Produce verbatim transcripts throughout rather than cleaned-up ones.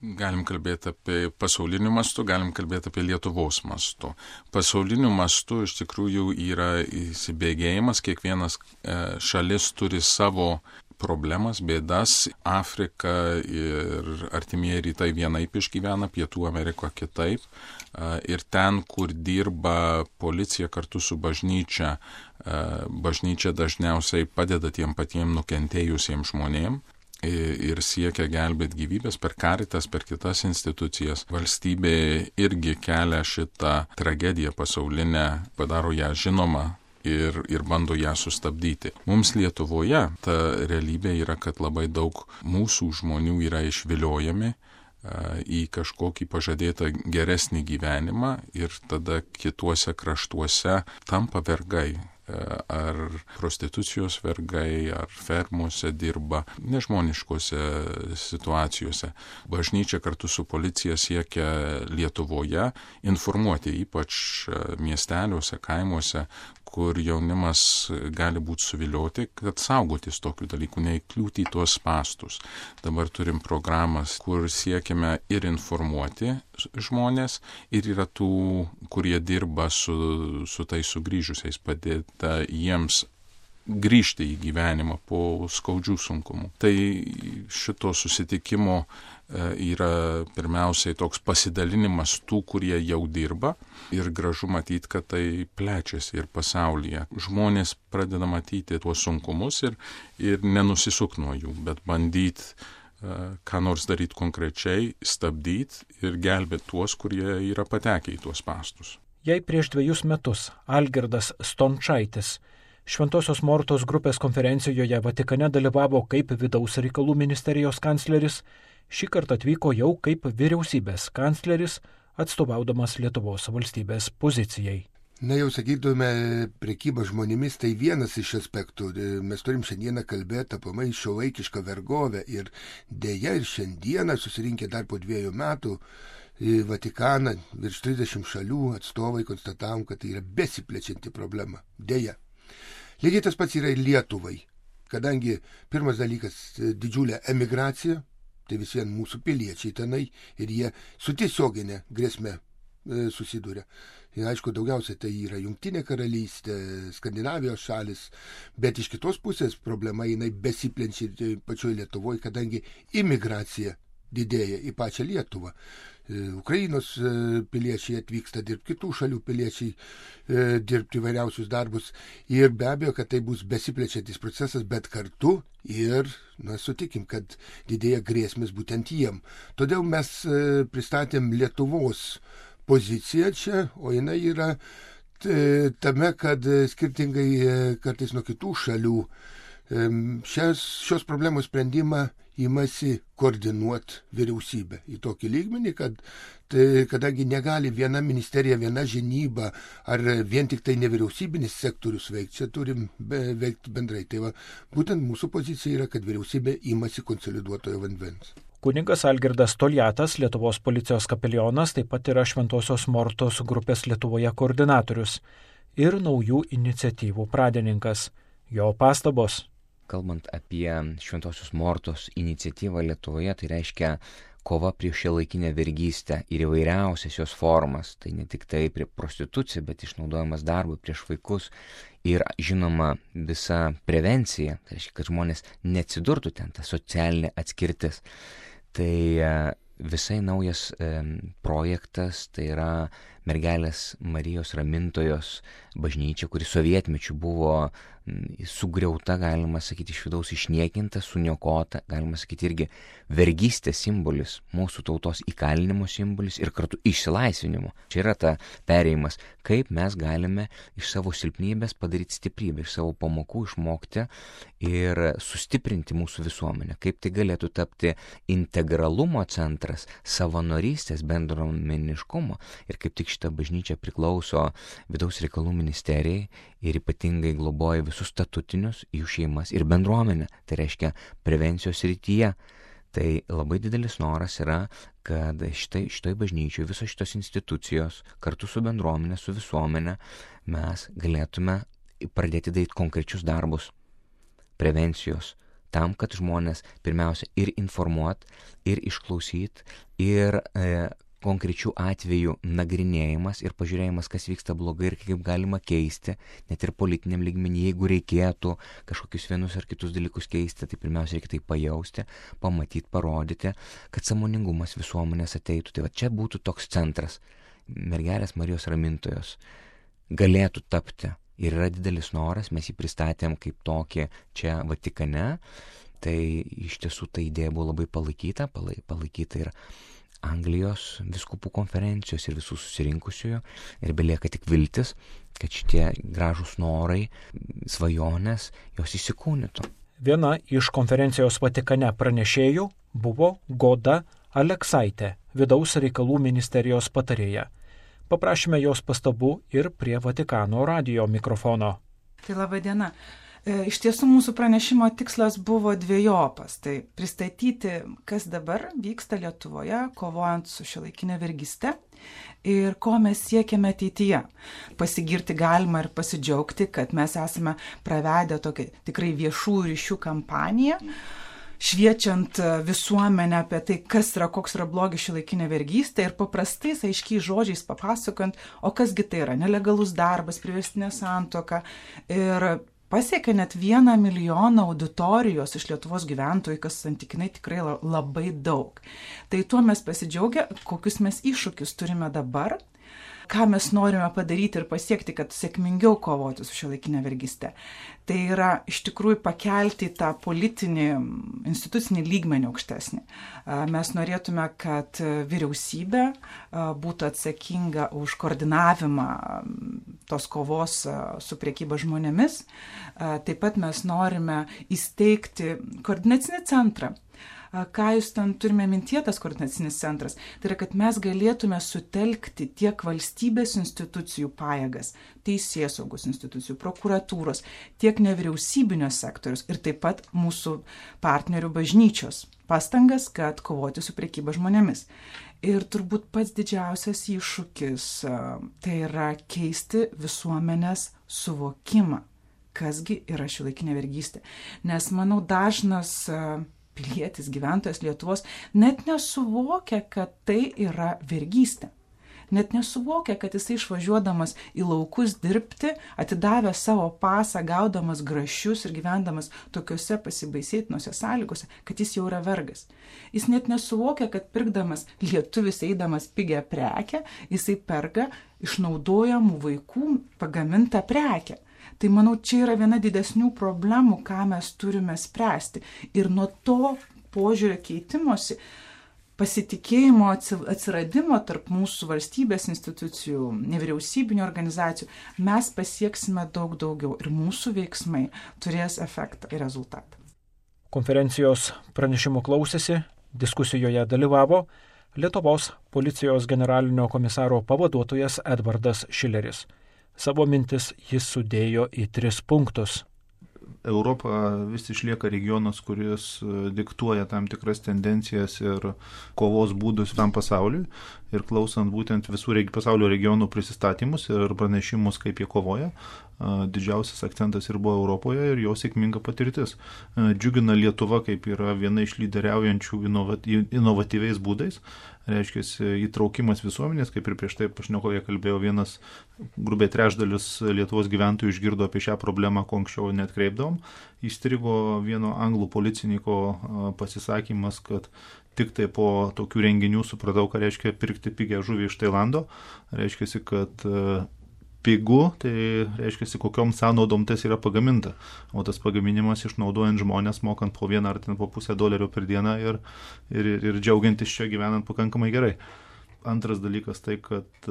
Galim kalbėti apie pasauliniu mastu, galim kalbėti apie Lietuvos mastu. Pasauliniu mastu iš tikrųjų yra įsibėgėjimas, kiekvienas šalis turi savo problemas, bėdas. Afrika ir artimieji rytai vienaip išgyvena, Pietų Amerika kitaip. Ir ten, kur dirba policija kartu su bažnyčia, bažnyčia dažniausiai padeda tiem patiem nukentėjusiems žmonėm ir siekia gelbėti gyvybės per Caritas, per kitas institucijas. Valstybė irgi kelia šitą tragediją pasaulinę, padaro ją žinomą ir, ir bando ją sustabdyti. Mums Lietuvoje ta realybė yra, kad labai daug mūsų žmonių yra išviliojami į kažkokį pažadėtą geresnį gyvenimą ir tada kituose kraštuose tampa vergai. Ar prostitucijos vergai, ar fermose dirba, nežmoniškose situacijose. Bažnyčia kartu su policija siekia Lietuvoje informuoti, ypač miesteliuose, kaimuose, kur jaunimas gali būti suvilioti, kad saugotis tokių dalykų, neįkliūti į tuos spastus. Dabar turim programas, kur siekiame ir informuoti žmonės, ir yra tų, kurie dirba su, su tais sugrįžusiais, padėta jiems grįžti į gyvenimą po skaudžių sunkumų. Tai šito susitikimo yra pirmiausiai toks pasidalinimas tų, kurie jau dirba, ir gražu matyti, kad tai plečiasi ir pasaulyje. Žmonės pradeda matyti tuos sunkumus ir, ir nenusisuk nuo jų, bet bandyti uh, ką nors daryti konkrečiai, stabdyti ir gelbėti tuos, kurie yra patekę į tuos spastus. Jei prieš dviejus metus Algirdas Stončaitis Šventosios Mortos grupės konferencijoje Vatikane dalyvavo kaip vidaus reikalų ministerijos kancleris, šį kartą atvyko jau kaip vyriausybės kancleris, atstovaudamas Lietuvos valstybės pozicijai. Na jau sakytume, prekyba žmonėmis tai vienas iš aspektų. Mes turim šiandieną kalbėti apie šiuolaikišką vergovę ir dėja ir šiandieną susirinkę dar po dviejų metų į Vatikaną virš trisdešimt šalių atstovai konstatavom, kad tai yra besiplečianti problema. Dėja. Lygiai tas pats yra ir Lietuvai, kadangi pirmas dalykas didžiulė emigracija, tai vis vien mūsų piliečiai tenai ir jie su tiesioginė grėsme e, susiduria. Ir aišku, daugiausiai tai yra Jungtinė karalystė, Skandinavijos šalis, bet iš kitos pusės problema jinai besiplenčia pačioje Lietuvoje, kadangi imigracija didėja į pačią Lietuvą. Ukrainos piliečiai atvyksta dirbti, kitų šalių piliečiai dirbti įvairiausius darbus ir be abejo, kad tai bus besiplečiantis procesas, bet kartu ir, na, sutikim, kad didėja grėsmės būtent jiem. Todėl mes pristatėm Lietuvos poziciją čia, o jinai yra tame, kad skirtingai kartais nuo kitų šalių šios, šios problemos sprendimą imasi koordinuoti vyriausybę į tokį lygmenį, kad tai, kadangi negali viena ministerija, viena žinyba ar vien tik tai nevyriausybinis sektorius veikti, čia turim be, veikti bendrai. Tai va, būtent mūsų pozicija yra, kad vyriausybė imasi konsoliduotojo vandens. Kunigas Algirdas Toliatas, Lietuvos policijos kapelionas, taip pat yra Šventosios Mortos grupės Lietuvoje koordinatorius ir naujų iniciatyvų pradininkas. Jo pastabos. Kalbant apie Šventosios Mortos iniciatyvą Lietuvoje, tai reiškia kova prieš šiuolaikinę vergystę ir įvairiausias jos formas. Tai ne tik tai prie prostitucija, bet išnaudojimas darbui prieš vaikus ir, žinoma, visa prevencija. Tai reiškia, kad žmonės neatsidurtų ten, ta socialinė atskirtis. Tai visai naujas e, projektas, tai yra Mergelės Marijos Ramintojos bažnyčia, kuri sovietmečiu buvo sugriauta, galima sakyti, iš vidaus išniekinta, suniokota, galima sakyti, irgi vergystės simbolis, mūsų tautos įkalinimo simbolis ir kartu išsilaisvinimo. Čia yra ta perėjimas, kaip mes galime iš savo silpnybės padaryti stiprybę, iš savo pamokų išmokti ir sustiprinti mūsų visuomenę, kaip tai galėtų tapti integralumo centras, savanorystės, bendruomeniškumo. Ir kaip tik šita bažnyčia priklauso vidaus reikalų ministerijai ir ypatingai globoja visus statutinius, jų šeimas ir bendruomenę. Tai reiškia prevencijos srityje. Tai labai didelis noras yra, kad šitai, šitoj bažnyčioj visos šitos institucijos kartu su bendruomenė, su visuomenė mes galėtume pradėti daryti konkrečius darbus prevencijos, tam, kad žmonės pirmiausia ir informuot, ir išklausyt, ir e, konkrečių atvejų nagrinėjimas ir pažiūrėjimas, kas vyksta blogai ir kaip galima keisti, net ir politiniam lygmenį, jeigu reikėtų kažkokius vienus ar kitus dalykus keisti, tai pirmiausia reikia tai pajausti, pamatyti, parodyti, kad sąmoningumas visuomenės ateitų. Tai va čia būtų toks centras. Mergelės Marijos ramintojos galėtų tapti ir yra didelis noras, mes jį pristatėm kaip tokį čia Vatikane, tai iš tiesų ta idėja buvo labai palaikyta, palaikyta ir Anglijos vyskupų konferencijos ir visų susirinkusiųjų ir belieka tik viltis, kad šitie gražūs norai, svajonės, jos įsikūnytų. Viena iš konferencijos Vatikane pranešėjų buvo Goda Aleksaitė, vidaus reikalų ministerijos patarėja. Paprašėme jos pastabų ir prie Vatikano radijo mikrofono. Tai laba diena. Iš tiesų mūsų pranešimo tikslas buvo dviejopas. Tai pristatyti, kas dabar vyksta Lietuvoje, kovojant su šiuolaikinė vergyste ir ko mes siekiame ateityje. Pasigirti galima ir pasidžiaugti, kad mes esame pravedę tokią tikrai viešų ryšių kampaniją, šviečiant visuomenę apie tai, kas yra, koks yra blogis šiuolaikinė vergystė ir paprastais, aiškiai žodžiais papasakant, o kasgi tai yra nelegalus darbas, priverstinė santuoka ir pasiekė net vieną milijoną auditorijos iš Lietuvos gyventojų, kas santykinai tikrai labai daug. Tai tuo mes pasidžiaugę, kokius mes iššūkius turime dabar, ką mes norime padaryti ir pasiekti, kad sėkmingiau kovoti su šiuolaikinė vergyste. Tai yra iš tikrųjų pakelti tą politinį, institucinį lygmenį aukštesnį. Mes norėtume, kad vyriausybė būtų atsakinga už koordinavimą tos kovos su prekyba žmonėmis. Taip pat mes norime įsteigti koordinacinį centrą. Ką jūs ten turime mintyje, tas koordinacinis centras? Tai yra, kad mes galėtume sutelkti tiek valstybės institucijų pajėgas, teisėsaugos institucijų, prokuratūros, tiek nevyriausybinio sektorius ir taip pat mūsų partnerių bažnyčios pastangas, kad kovoti su prekyba žmonėmis. Ir turbūt pats didžiausias iššūkis tai yra keisti visuomenės suvokimą, kasgi yra šiuolaikinė vergystė. Nes, manau, dažnas pilietis, gyventojas Lietuvos net nesuvokia, kad tai yra vergystė. Net nesuvokia, kad jisai išvažiuodamas į laukus dirbti, atidavęs savo pasą, gaudamas grašius ir gyvendamas tokiuose pasibaisėtinuose sąlygose, kad jis jau yra vergas. Jis net nesuvokia, kad pirkdamas lietuvis eidamas pigią prekę, jisai perka išnaudojamų vaikų pagamintą prekę. Tai manau, čia yra viena didesnių problemų, ką mes turime spręsti. Ir nuo to požiūrio keitimosi, pasitikėjimo atsiradimo tarp mūsų valstybės institucijų, nevyriausybinių organizacijų, mes pasieksime daug daugiau ir mūsų veiksmai turės efektą ir rezultatą. Konferencijos pranešimų klausėsi, diskusijoje dalyvavo Lietuvos policijos generalinio komisaro pavaduotojas Edvardas Šileris. Savo mintis jis sudėjo į tris punktus. Europa vis išlieka regionas, kuris diktuoja tam tikras tendencijas ir kovos būdus tam pasauliui. Ir klausant būtent visų pasaulio regionų prisistatymus ir pranešimus, kaip jie kovoja, didžiausias akcentas ir buvo Europoje ir jo sėkminga patirtis. Džiugina Lietuva, kaip yra viena iš lyderiaujančių inovatyviais būdais. Reiškia, įtraukimas visuomenės, kaip ir prieš tai pašnekovė kalbėjo, vienas grubiai trečdalis Lietuvos gyventojų išgirdo apie šią problemą, ko anksčiau net kreipdavom. Įstrigo vieno anglų policininko pasisakymas, kad tik tai po tokių renginių supratau, ką reiškia pirkti pigią žuvį iš Tailando. Reiškia, kad pigu, tai reiškia, kokiom sąnaudom tas yra pagaminta. O tas pagaminimas išnaudojant žmonės, mokant po vieną ar ten po pusę dolerio per dieną ir, ir, ir džiaugiantis čia gyvenant pakankamai gerai. Antras dalykas tai, kad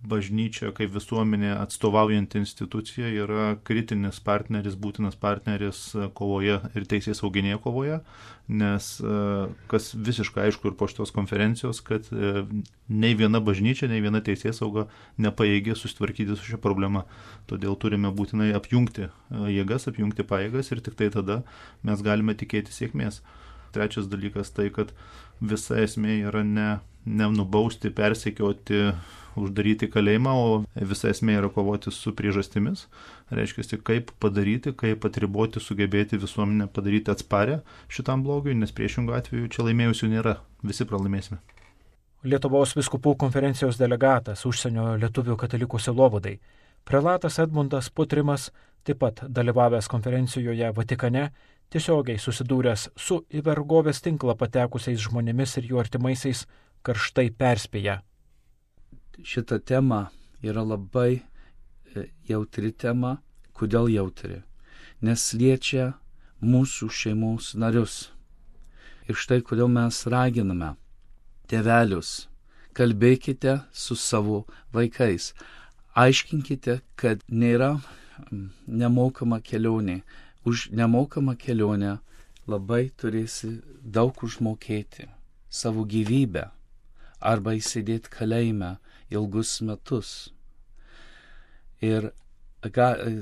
bažnyčia kaip visuomenė atstovaujanti institucija yra kritinis partneris, būtinas partneris kovoje ir teisės sauginėje kovoje, nes kas visiškai aišku ir po šitos konferencijos, kad nei viena bažnyčia, nei viena teisės sauga nepajėgė susitvarkyti su šia problema. Todėl turime būtinai apjungti jėgas, apjungti pajėgas ir tik tai tada mes galime tikėti sėkmės. Trečias dalykas tai, kad visa esmė yra ne, ne nubausti, persekioti uždaryti kalėjimą, o visa esmė yra kovoti su priežastimis. Reiškia, kaip padaryti, kaip atriboti, sugebėti visuomenę padaryti atsparę šitam blogiui, nes priešingų atveju čia laimėjusių nėra, visi pralaimėsime. Lietuvos vyskupų konferencijos delegatas užsienio lietuvių katalikų sielovadai, prelatas Edmundas Putrimas, taip pat dalyvavęs konferencijoje Vatikane, tiesiogiai susidūręs su į vergovės tinklą patekusiais žmonėmis ir jų artimaisiais, karštai perspėja. Šita tema yra labai jautri tema. Kodėl jautri? Nes liečia mūsų šeimos narius. Ir štai kodėl mes raginame tėvelius, kalbėkite su savo vaikais. Aiškinkite, kad nėra nemokama kelionė. Už nemokamą kelionę labai turėsi daug užmokėti savo gyvybę arba įsėdėti kalėjime ilgus metus. Ir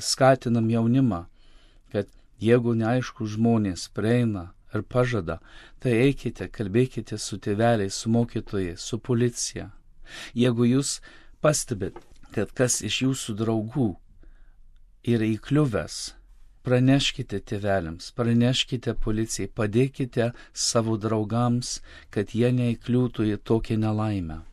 skatinam jaunimą, kad jeigu neaišku žmonės prieina ir pažada, tai eikite, kalbėkite su tėveliais, su mokytojais, su policija. Jeigu jūs pastebit, kad kas iš jūsų draugų yra įkliuvęs, praneškite tėveliams, praneškite policijai, padėkite savo draugams, kad jie neįkliūtų į tokią nelaimę.